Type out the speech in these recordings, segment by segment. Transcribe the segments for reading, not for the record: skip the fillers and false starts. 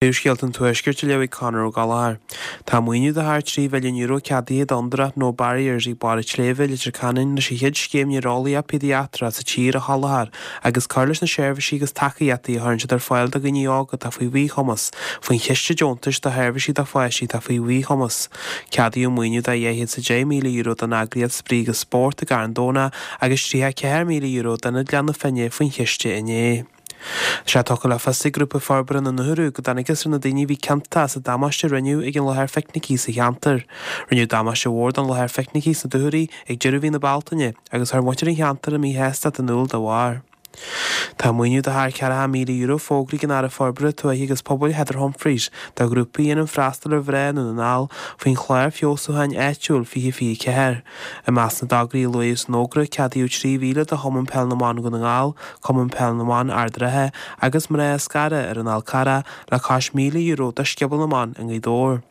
Príomhscéalta an Tuaiscirt á léamh ag Conor Ó Gallchóir. Tá maoiniú de thar €3 mhilliún ceadaithe d'Fhondúireacht No Barriers ag Barr an tSléibhe, Leitir Ceanainn leis an chéad scéim néareolaíocht péidiatrach sa tír a sholáthar agus cur leis na seirbhísí agus tacaíochtaí a chuireann siad ar fáil do dhaoine óga atá faoi mhíchumas faoin Chiste Deontais do Sheirbhísí do Pháistí atá faoi Mhíchumas. Ceadaíodh maoiniú de €210,000 don eagraíocht Spraoi agus Spórt i gCarn Domhnach agus €34,000 d'Ionad Ghleann na Finne faoin chiste inné. Tá sé tugtha le fios ag Grúpa Forbartha na nDúchoradh go dtángthas ar na daoine a bhí ciontach sa damáiste a rinneadh ag an láthair phicnicí sa cheantar. Rinneadh damáiste mhór don láthair phicnicí sna Dúchoraidh ag deireadh mhí na Bealtaine agus chuir muintir an cheantair a míshástacht in iúl dá bharr. Tá maoiniú de thar €40,000 fógraithe ag an Aire Forbartha Tuaithe agus Pobail Heather Humphreys do ghrúpaí a dhéanann freastal ar mhná i nDún na nGall faoin Chlár Feabhsúcháin Áitiúil 2024. I measc na dtograí a luaíodh san fhógra, ceadaíodh 3,000 do Chumann Peil na mBan Dhún na nGall, Cumann Peil na mBan Ard an Rátha agus Mná Scarra ar an Fhál Carrach le cois €1,000 do Scioból na mBan i nGaoth Dobhair.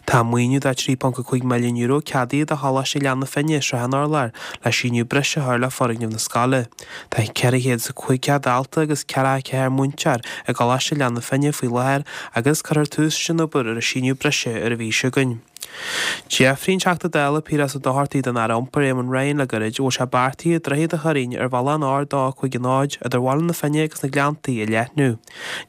Tá maoiniú de €3.5 milliún ceadaithe do Choláiste Ghleann na Finne, Srath an Urláir, le síneadh breise a chur le foirgneamh na scoile. Tá 450 dalta agus 44 múinteoir i gColáiste Ghleann na Finne faoi láthair agus cuirfear tús leis an obair ar an síneadh breise ar an mhí seo chugainn. D'fhiafraigh an Teachta Dála Piaras Ó Dochartaigh den Aire Iompair Éamon Ryan le gairid an bhfuil sé beartaithe Droichead an Choirín ar bhealach an R250 idir Bhaile na Finne agus na Gleanntaí a leathnú.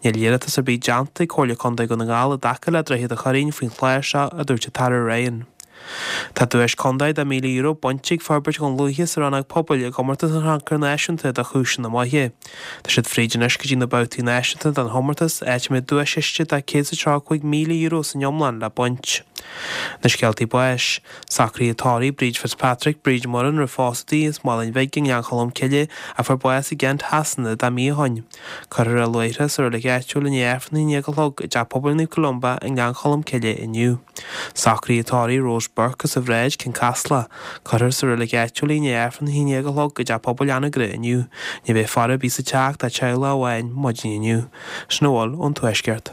Níl iarratas ar bith déanta ag Comhairle Contae Dhún na nGall i dtaca le Droichead an Choirín faoin chlár seo, a dúirt an tAire Ryan. Tá duais contae de €1,000 bainte ag Forbairt Dhún Lúiche sa rannóg pobail i gcomórtas an Chrannchuir Náisiúnta do Chúiseanna Maithe. Tá siad fríd anois go dtí na babhtaí náisiúnta den chomórtas, áit a mbeidh duaischiste de €135,000 san iomlán le baint. Na scéaltaí báis. Socruithe tórraimh Bríd Fitzpatrick, Bríd Murrin roimh phósadh di as Maoláin Bhig i nGleann Cholm Cille a fuair bás i gCent Shasana 10 mí ó shoin. Cuirfear í i luaithreach sa reilig áitiúil i ndiaidh Aifreann a 11 a chlog i dTeach Pobail Naomh Columba i nGleann Cholm Cille inniu. Socruithe tórraimh Rose Burke as an Bhráid, Cionn Caslach. Cuirfear sa reilig áitiúil í i ndiaidh Aifreann a 11 a chlog i dTeach Pobail Anagaire inniu. Ní bheidh faire ar bith sa teach dá teaghlach amháin maidin inniu. Sin a bhfuil ón Tuaisceart.